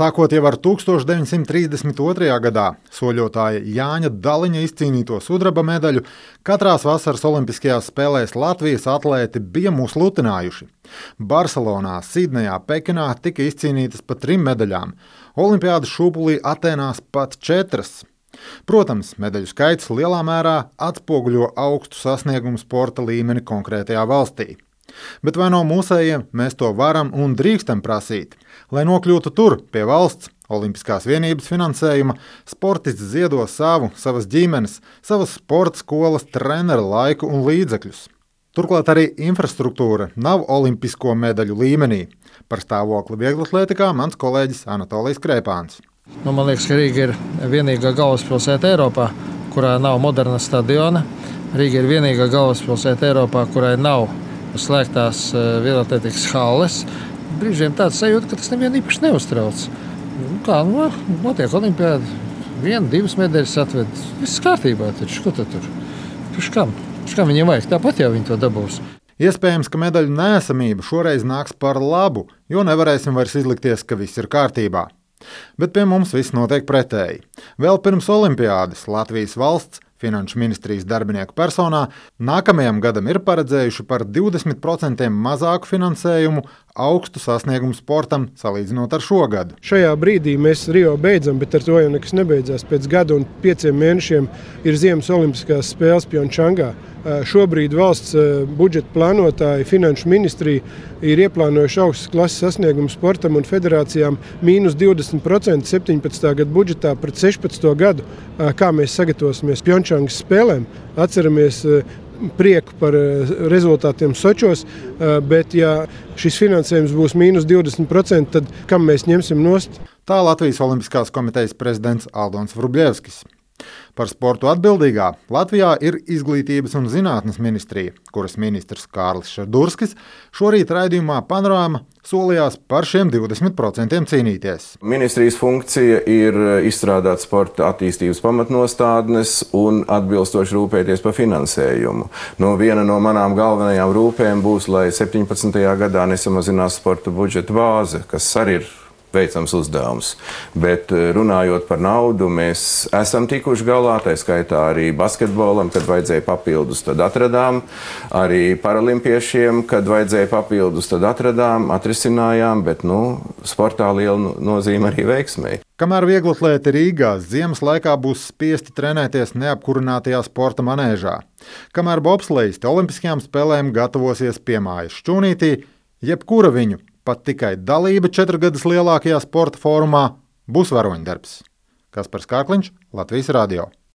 Sākot jau ar 1932. gadā soļotāja Jāņa Daliņa izcīnīto sudraba medaļu, katrās vasaras olimpiskajās spēlēs Latvijas atlēti bija mūs lutinājuši. Barcelonā, Sidnejā, Pekinā tika izcīnītas pat 3 medaļām, Olimpiādas šūpulī Atēnās pat 4. Protams, medaļu skaits lielā mērā atspoguļo augstu sasniegumu sporta līmeni konkrētajā valstī. Bet vai no mūsējiem mēs to varam un drīkstam prasīt? Lai nokļūtu tur, pie valsts, olimpiskās vienības finansējuma, sportists ziedo savas ģimenes, savas sporta skolas, treneru laiku un līdzekļus. Turklāt arī infrastruktūra nav olimpisko medaļu līmenī. Par stāvokli vieglatlētikā mans kolēģis Anatolijs Krēpāns. Man liekas, ka Rīga ir vienīgā galvaspilsēta Eiropā, kurā nav moderna stadiona. Rīga ir vienīgā galvaspilsēta Eiropā, kurai nav slēgtās vieglatlētikas halles. Brīžiem tāds sajūta, ka tas nevienu īpaši neuztrauc. Notiek olimpiāda, 1-2 medaļas atved. Viss kārtībā taču, ko tad tur? Kam viņiem vajag? Tāpat jau viņi to dabūs. Iespējams, ka medaļu neesamība šoreiz nāks par labu, jo nevarēsim vairs izlikties, ka viss ir kārtībā. Bet pie mums viss notiek pretēji. Vēl pirms olimpiādas Latvijas valsts Finanšu ministrijas darbinieku personā nākamajam gadam ir paredzējuši par 20% mazāku finansējumu augstu sasniegumu sportam salīdzinot ar šo gadu. Šajā brīdī mēs Rio beidzam, bet ar to jau nekas nebeidzās. Pēc gada un 5 mēnešiem ir Ziemas olimpiskās spēles Pjončangā. Šobrīd valsts budžeta plānotāji, Finanšu ministrija ir ieplānojuši augstas klases sasniegumu sportam un federācijām -20% 17. gada budžetā pret 16. gadu. Kā mēs sagatavosimies Pjončangas spēlēm, atceramies prieku par rezultātiem Sočos, bet ja šis finansējums būs -20%, tad kam mēs ņemsim nost? Tā Latvijas Olimpiskās komitejas prezidents Aldons Vrublevskis. Par sportu atbildīgā Latvijā ir Izglītības un zinātnes ministrija, kuras ministrs Kārlis Šardurskis šorīt raidījumā Panorāma solījās par šiem 20% cīnīties. Ministrijas funkcija ir izstrādāt sporta attīstības pamatnostādnes un atbilstoši rūpēties par finansējumu. Viena no manām galvenajām rūpēm būs, lai 17. gadā nesamazinās sporta budžeta bāze, kas arī ir veicams uzdevums. Bet runājot par naudu, mēs esam tikuši galā, tā skaitā arī basketbolam, kad vajadzēja papildus, tad atradām. Arī paralimpiešiem, kad vajadzēja papildus, tad atradām, atrisinājām, bet sportā liela nozīme arī veiksmei. Kamēr vieglatlēti Rīgā ziemas laikā būs spiesti trenēties neapkurinātajā sporta manēžā, kamēr bobslejisti olimpiskajām spēlēm gatavosies piemājas Šķūnītī, jebkura viņu pat tikai dalība 4 gadus lielākajā sporta fórumā būs varoņdarbs. Kaspars Kārkliņš, Latvijas Radio.